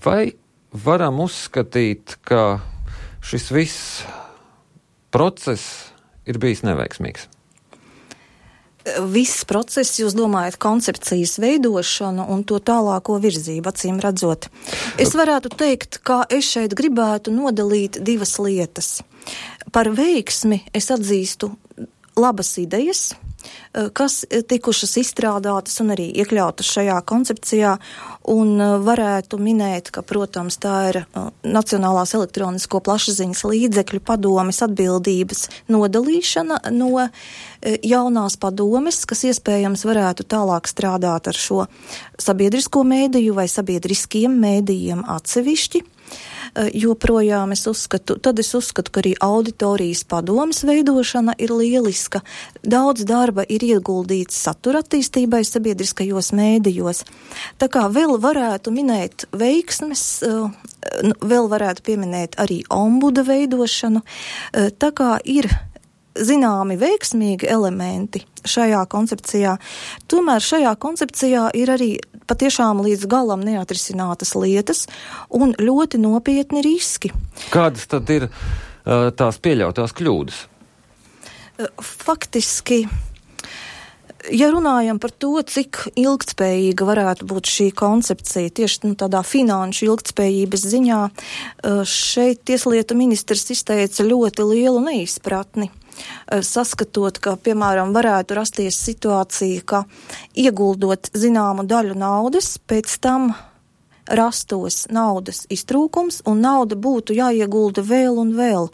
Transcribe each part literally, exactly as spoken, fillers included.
Vai varam uzskatīt, ka šis viss process ir bijis neveiksmīgs? Viss process, jūs domājat, koncepcijas veidošanu un to tālāko virzību, acīm redzot. Es varētu teikt, ka es šeit gribētu nodalīt divas lietas. Par veiksmi es atzīstu labas idejas, kas tikušas izstrādātas un arī iekļautas šajā koncepcijā, un varētu minēt, ka, protams, tā ir Nacionālās elektronisko plašsaziņas līdzekļu padomes atbildības nodalīšana no jaunās padomes, kas iespējams varētu tālāk strādāt ar šo sabiedrisko mēdīju vai sabiedriskiem mēdījiem atsevišķi. Joprojām es uzskatu, tad es uzskatu, ka arī auditorijas padomes veidošana ir lieliska. Daudz darba ir ieguldīts satura attīstībai sabiedriskajos mēdījos. Tā kā vēl varētu minēt veiksmes, vēl varētu pieminēt arī ombuda veidošanu. Tā kā ir zināmi veiksmīgi elementi šajā koncepcijā, tomēr šajā koncepcijā ir arī patiešām līdz galam neatrisinātas lietas un ļoti nopietni riski. Kādas tad ir uh, tās pieļautās kļūdas? Faktiski, ja runājam par to, cik ilgtspējīga varētu būt šī koncepcija, tieši nu, tādā finanšu ilgtspējības ziņā, šeit tieslietu ministrs izteica ļoti lielu neizpratni, saskatot, ka, piemēram, varētu rasties situācija, ka ieguldot zināmu daļu naudas, pēc tam rastos naudas iztrūkums un nauda būtu jāiegulda vēl un vēl.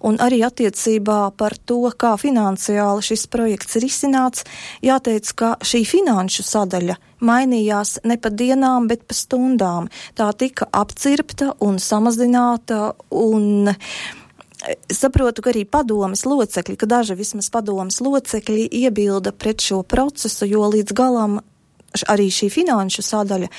Un arī attiecībā par to, kā finansiāli šis projekts ir izcināts, jāteic, ka šī finanšu sadaļa mainījās ne pa dienām, bet pa stundām. Tā tika apcirpta un samazināta un saprotu, ka arī padomes locekļi, ka daži vismaz padomes locekļi iebilda pret šo procesu, jo līdz galam arī šī finanšu sadaļa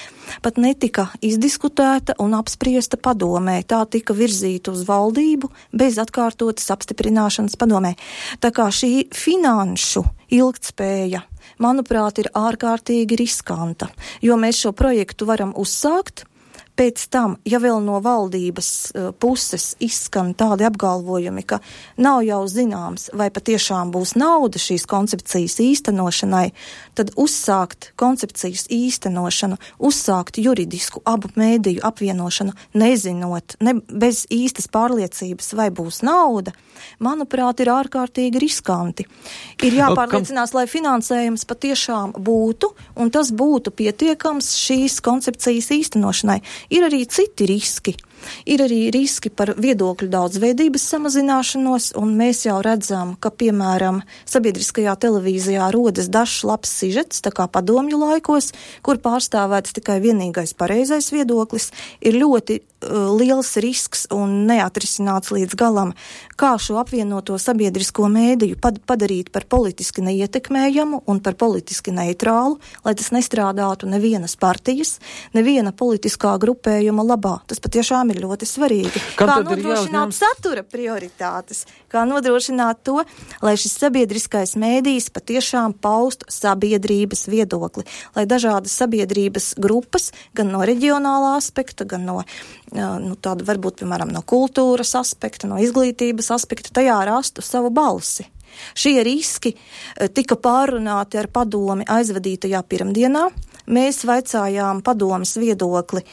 pat netika izdiskutēta un apspriesta padomē. Tā tika virzīta uz valdību bez atkārtotas apstiprināšanas padomē. Tā kā šī finanšu ilgtspēja, manuprāt, ir ārkārtīgi riskanta, jo mēs šo projektu varam uzsākt. Pēc tam, ja vēl no valdības uh, puses izskan tādi apgalvojumi, ka nav jau zināms, vai patiešām būs nauda šīs koncepcijas īstenošanai, tad uzsākt koncepcijas īstenošanu, uzsākt juridisku abu mēdīju apvienošanu, nezinot, ne, bez īstas pārliecības, vai būs nauda, manuprāt, ir ārkārtīgi riskanti. Ir jāpārliecinās, lai finansējums patiešām būtu, un tas būtu pietiekams šīs koncepcijas īstenošanai. Ir arī citi riski. Ir arī riski par viedokļu daudzveidības samazināšanos, un mēs jau redzam, ka, piemēram, sabiedriskajā televīzijā rodas dažs labs sižets, tā kā padomju laikos, kur pārstāvēts tikai vienīgais pareizais viedoklis, ir ļoti uh, liels risks un neatrisināts līdz galam, kā šo apvienoto sabiedrisko mēdīju pad- padarīt par politiski neietekmējamu un par politiski neitrālu, lai tas nestrādātu nevienas partijas, neviena politiskā grupējuma labā. Tas patiešām ir ļoti svarīgi. Kam kā jāuzņem... nodrošināt satura prioritātes, kā nodrošināt to, lai šis sabiedriskais mēdījis patiešām paustu sabiedrības viedokli, lai dažādas sabiedrības grupas, gan no reģionālā aspekta, gan no, nu, tāda varbūt, piemēram, no kultūras aspekta, no izglītības aspekta, tajā rastu savu balsi. Šie riski tika pārunāti ar padomi aizvadītajā pirmdienā. Mēs vaicājām padomes viedokli,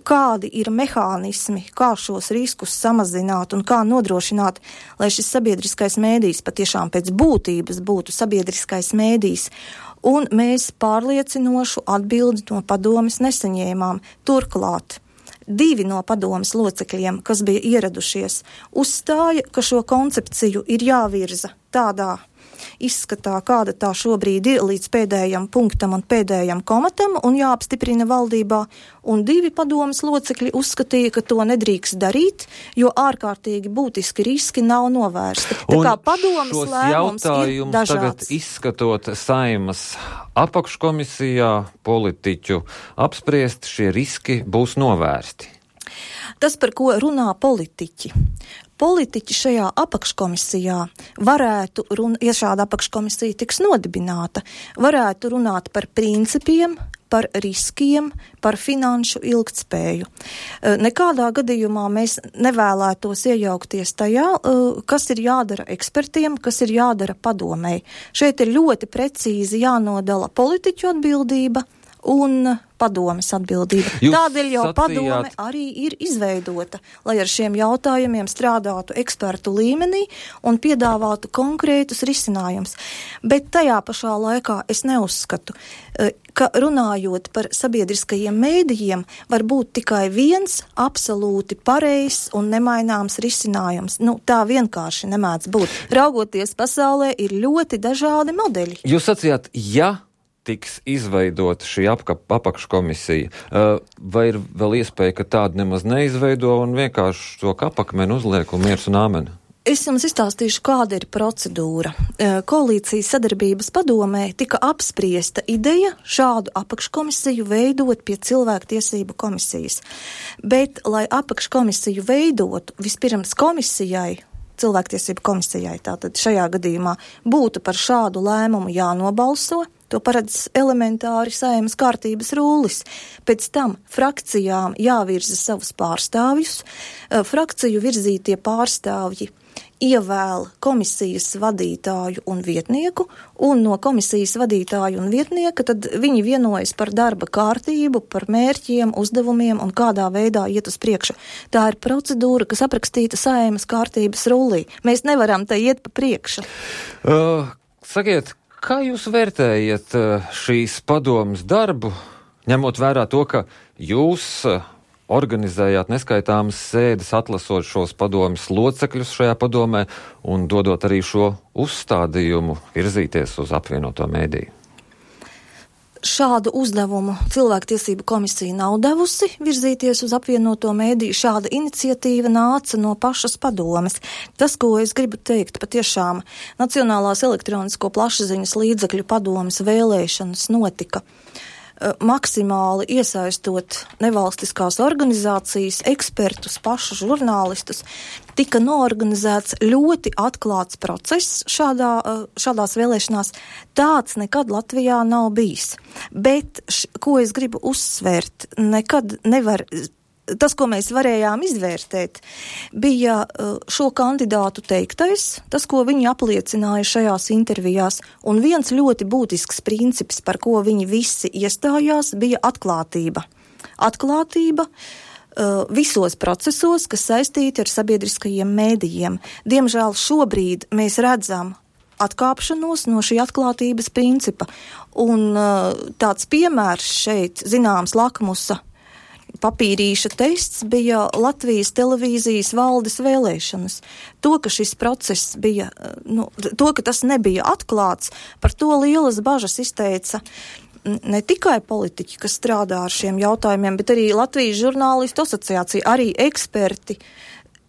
kādi ir mehānismi, kā šos riskus samazināt un kā nodrošināt, lai šis sabiedriskais mēdījis patiešām pēc būtības būtu sabiedriskais mēdījis. Un mēs pārliecinošu atbildi no padomes nesaņēmām. Turklāt divi no padomes locekļiem, kas bija ieradušies, uzstāja, ka šo koncepciju ir jāvirza tādā izskatā, kāda tā šobrīd ir līdz pēdējam punktam un pēdējam komatam un jāapstiprina valdībā, un divi padomes locekļi uzskatīja, ka to nedrīkst darīt, jo ārkārtīgi būtiski riski nav novērsti. Tā kā padomes lēmums ir dažāds. Tagad izskatot Saimas apakškomisijā politiķu apspriest, šie riski būs novērsti. Tas, par ko runā politiķi. Politiķi šajā apakškomisijā varētu, run, ja šāda apakškomisija tiks nodibināta, varētu runāt par principiem, par riskiem, par finanšu ilgtspēju. Nekādā gadījumā mēs nevēlētos iejaukties tajā, kas ir jādara ekspertiem, kas ir jādara padomēji. Šeit ir ļoti precīzi jānodala politiķu atbildība un padomes atbildība. Jūs Tādēļ jau sacījāt... padome arī ir izveidota, lai ar šiem jautājumiem strādātu ekspertu līmenī un piedāvātu konkrētus risinājumus. Bet tajā pašā laikā es neuzskatu, ka runājot par sabiedriskajiem mēdījiem, var būt tikai viens absolūti pareizs un nemaināms risinājums. Nu, tā vienkārši nemēdz būt. Raugoties pasaulē, ir ļoti dažādi modeļi. Jūs sacījāt, ja tiks izveidota šī apkap, apakškomisija, vai ir vēl iespēja, ka tāda nemaz neizveido un vienkārši to kapakmeni uzliek un miers un āmeni? Es jums izstāstīšu, kāda ir procedūra. Koalīcijas sadarbības padomē tika apspriesta ideja šādu apakškomisiju veidot pie cilvēktiesību komisijas. Bet, lai apakškomisiju veidotu, vispirms komisijai, cilvēktiesību komisijai, tātad šajā gadījumā būtu par šādu lēmumu jānobalso. To paredz elementāri Saeimas kārtības rūlis. Pēc tam frakcijām jāvirza savus pārstāvjus. Frakciju virzītie pārstāvji ievēl komisijas vadītāju un vietnieku, un no komisijas vadītāju un vietnieka tad viņi vienojas par darba kārtību, par mērķiem, uzdevumiem un kādā veidā iet uz priekšu. Tā ir procedūra, kas aprakstīta Saeimas kārtības rūlī. Mēs nevaram te iet pa priekšu. Uh, sakiet, kā jūs vērtējat šīs padomas darbu, ņemot vērā to, ka jūs organizējāt neskaitāmas sēdes, atlasot šos padomas locekļus šajā padomē un dodot arī šo uzstādījumu virzīties uz apvienoto mēdīju? Šādu uzdevumu cilvēktiesību komisija nav devusi virzīties uz apvienoto mēdīju. Šāda iniciatīva nāca no pašas padomes. Tas, ko es gribu teikt, patiešām Nacionālās elektronisko plašsaziņas līdzekļu padomes vēlēšanas notika maksimāli iesaistot nevalstiskās organizācijas, ekspertus, pašu žurnālistus. Tika noorganizēts ļoti atklāts process šādā, šādās vēlēšanās. Tāds nekad Latvijā nav bijis. Bet, š, ko es gribu uzsvērt, nekad nevar... Tas, ko mēs varējām izvērtēt, bija šo kandidātu teiktais, tas, ko viņi apliecināja šajās intervijās, un viens ļoti būtisks princips, par ko viņi visi iestājās, bija atklātība. Atklātība uh, visos procesos, kas saistīti ar sabiedriskajiem mēdījiem. Diemžēl šobrīd mēs redzam atkāpšanos no šī atklātības principa, un uh, tāds piemērs šeit, zināms, lakmusa papīrīša tests bija Latvijas televīzijas valdes vēlēšanas. To, ka šis process bija, nu, to, ka tas nebija atklāts, par to lielas bažas izteica ne tikai politiķi, kas strādā ar šiem jautājumiem, bet arī Latvijas žurnālistu asociācija, arī eksperti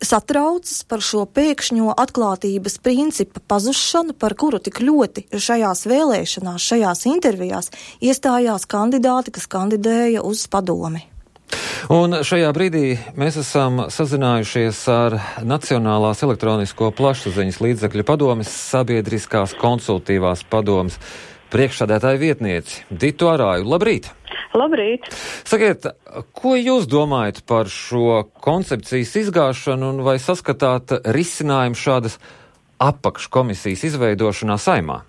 satraucas par šo pēkšņo atklātības principa pazušanu, par kuru tik ļoti šajās vēlēšanās, šajās intervijās iestājās kandidāti, kas kandidēja uz padomi. Un šajā brīdī mēs esam sazinājušies ar Nacionālās elektronisko plašsaziņas līdzekļu padomes sabiedriskās konsultīvās padomes priekšsēdētāju vietnieci Ditu Arāju. Labrīt! Labrīt! Sakiet, ko jūs domājat par šo koncepcijas izgāšanu un vai saskatāt risinājumu šādas apakškomisijas izveidošanā Saeimā?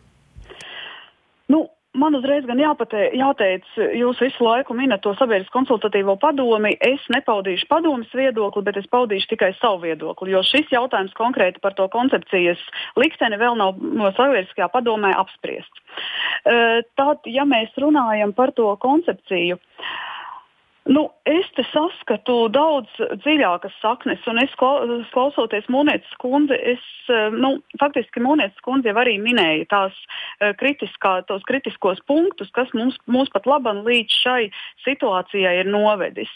Nu, man uzreiz gan jāpate, jāteic, jūs visu laiku minat to sabiedrisko konsultatīvo padomi. Es nepaudīšu padomas viedokli, bet es paudīšu tikai savu viedokli, jo šis jautājums konkrēti par to koncepcijas likteni vēl nav no sabiedriskajā padomē apspriests. Tad, ja mēs runājam par to koncepciju, nu, es te saskatu daudz dziļākas saknes, un es klausoties Mūnietes kundzi, es, nu, faktiski Mūnietes kundze jau arī minēja tās kritiskā, tos kritiskos punktus, kas mums, mums pat laban līdz šai situācijai ir novedis.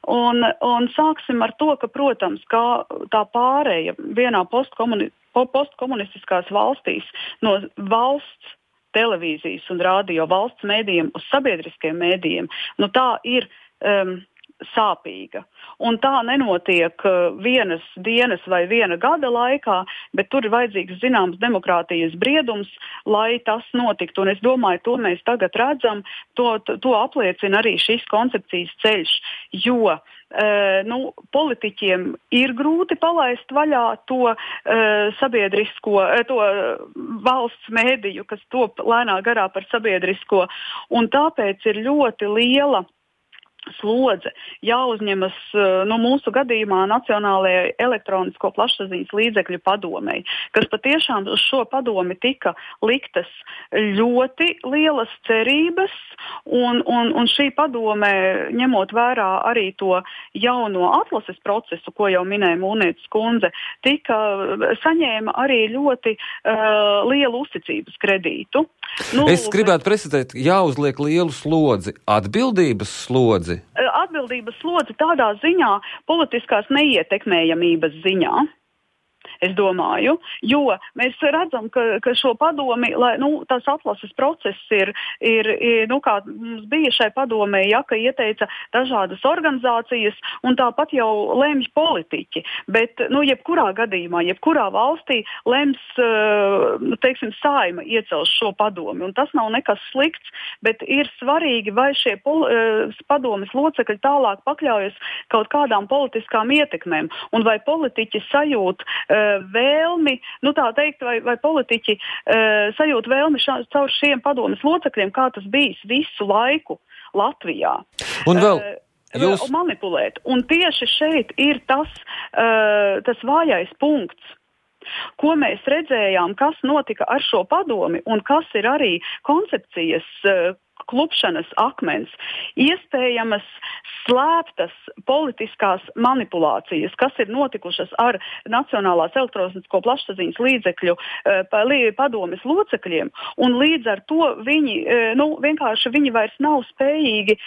Un, un sāksim ar to, ka, protams, kā tā pārēja vienā postkomuni, postkomunistiskās valstīs no valsts televīzijas un radio valsts mēdījiem uz sabiedriskiem mēdījiem, nu tā ir Um, sāpīga. Un tā nenotiek vienas dienas vai viena gada laikā, bet tur ir vajadzīgs zināms demokrātijas briedums, lai tas notiktu. Un es domāju, to mēs tagad redzam, to, to apliecina arī šis koncepcijas ceļš, jo uh, nu, politiķiem ir grūti palaist vaļā to uh, sabiedrisko, uh, to valsts mēdīju, kas top lēnā garā par sabiedrisko, un tāpēc ir ļoti liela slodze jāuzņemas nu, mūsu gadījumā Nacionālajai elektronisko plašsaziņas līdzekļu padomei, kas patiešām uz šo padomi tika liktas ļoti lielas cerības, un, un, un šī padome, ņemot vērā arī to jauno atlases procesu, ko jau minēja Mūrnietes kundze, tika saņēma arī ļoti uh, lielu uzticības kredītu. Nu, es gribētu precizēt, jāuzliek lielu slodzi, atbildības slodzi. Atbildības slodzi tādā ziņā, politiskās neietekmējamības ziņā. Es domāju, jo mēs redzam, ka, ka šo padomi, lai, nu, tās atlases process ir, ir, ir, nu, kā mums bija šai padomē, ja, ka ieteica dažādas organizācijas un tāpat jau lemj politiķi, bet, nu, jebkurā gadījumā, jebkurā valstī lems, teiksim, Saeima iecels šo padomi, un tas nav nekas slikts, bet ir svarīgi, vai šie pol, padomes locekļi tālāk pakļaujas kaut kādām politiskām ietekmēm, un vai politiķi sajūt vēlmi, nu tā teikt, vai, vai politiķi uh, sajūt vēlmi šā, caur šiem padomes locekļiem, kā tas bijis visu laiku Latvijā. Un vēl uh, jūs... manipulēt. Un tieši šeit ir tas, uh, tas vājais punkts, ko mēs redzējām, kas notika ar šo padomi un kas ir arī koncepcijas uh, klupšanas akmens, iespējamas slēptas politiskās manipulācijas, kas ir notikušas ar Nacionālās elektronisko plašsaziņas līdzekļu padomes locekļiem, un līdz ar to viņi, nu, vienkārši viņi vairs nav spējīgi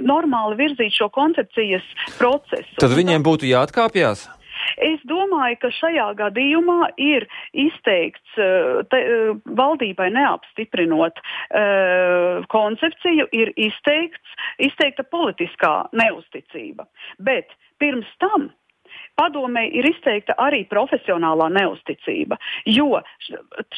normāli virzīt šo koncepcijas procesu. Tad viņiem būtu jāatkāpjas? Es domāju, ka šajā gadījumā ir izteikts, te, valdībai neapstiprinot uh, koncepciju, ir izteikts, izteikta politiskā neusticība. Bet pirms tam padomē ir izteikta arī profesionālā neusticība, jo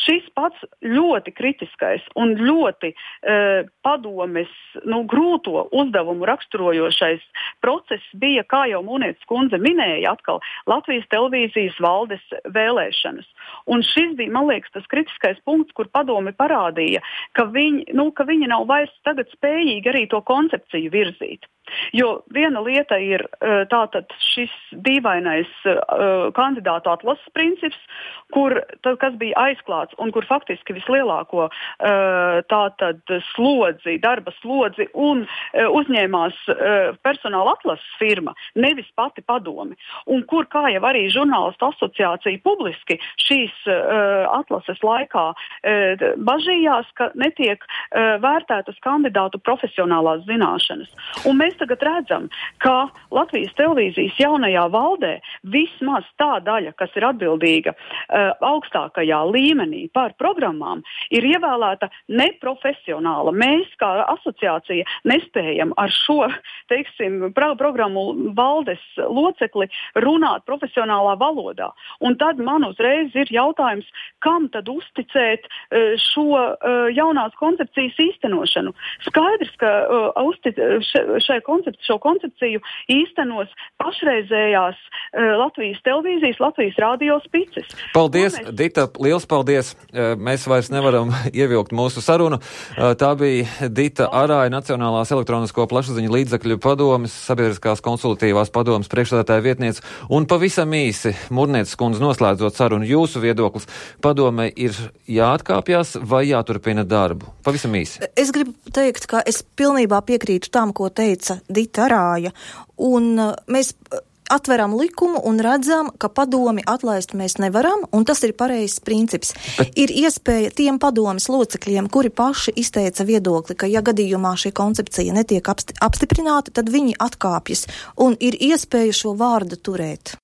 šis pats ļoti kritiskais un ļoti uh, padomes nu, grūto uzdevumu raksturojošais process bija, kā jau Mūrnietes kundze minēja, atkal Latvijas televīzijas valdes vēlēšanas. Un šis bija, man liekas, tas kritiskais punkts, kur padome parādīja, ka viņi, nu, ka viņi nav vairs tagad spējīgi arī to koncepciju virzīt. Jo viena lieta ir tātad šis dīvainais uh, kandidātu atlases princips, kur, tad, kas bija aizklāts un kur faktiski vislielāko uh, tātad slodzi, darba slodzi un uh, uzņēmās uh, personāla atlases firma, nevis pati padomi. Un kur, kā jau arī žurnālistu asociācija publiski šīs uh, atlases laikā uh, bažījās, ka netiek uh, vērtētas kandidātu profesionālās zināšanas. Un mēs tagad redzam, ka Latvijas televīzijas jaunajā valdē vismaz tā daļa, kas ir atbildīga uh, augstākajā līmenī par programmām, ir ievēlēta neprofesionāla. Mēs, kā asociācija, nespējam ar šo, teiksim, pro- programmu valdes locekli runāt profesionālā valodā. Un tad man uzreiz ir jautājums, kam tad uzticēt uh, šo uh, jaunās koncepcijas īstenošanu. Skaidrs, ka uh, uztic, šai koncepciju, šo koncepciju īstenos pašreizējās uh, Latvijas televīzijas, Latvijas radio spices. Paldies, mēs... Dita, liels paldies. Mēs vairs nevaram ievilkt mūsu sarunu. Tā bija Dita Arāja, Nacionālās elektronisko plašsaziņu līdzekļu padomes, sabiedriskās konsultatīvās padomes priekšsēdētāja vietniece. Un pavisam īsi, Mūrnietes kundze, noslēdzot sarunu, jūsu viedoklis, padomei ir jāatkāpjas vai jāturpina darbu? Pavisam īsi. Es gribu teikt, ka es pilnībā piekrītu tam, ko teica Dita Arāja, un mēs atveram likumu un redzam, ka padomi atlaist mēs nevaram, un tas ir pareizs princips. Bet... Ir iespēja tiem padomes locekļiem, kuri paši izteica viedokli, ka ja gadījumā šī koncepcija netiek apstiprināta, tad viņi atkāpjas, un ir iespēja šo vārdu turēt.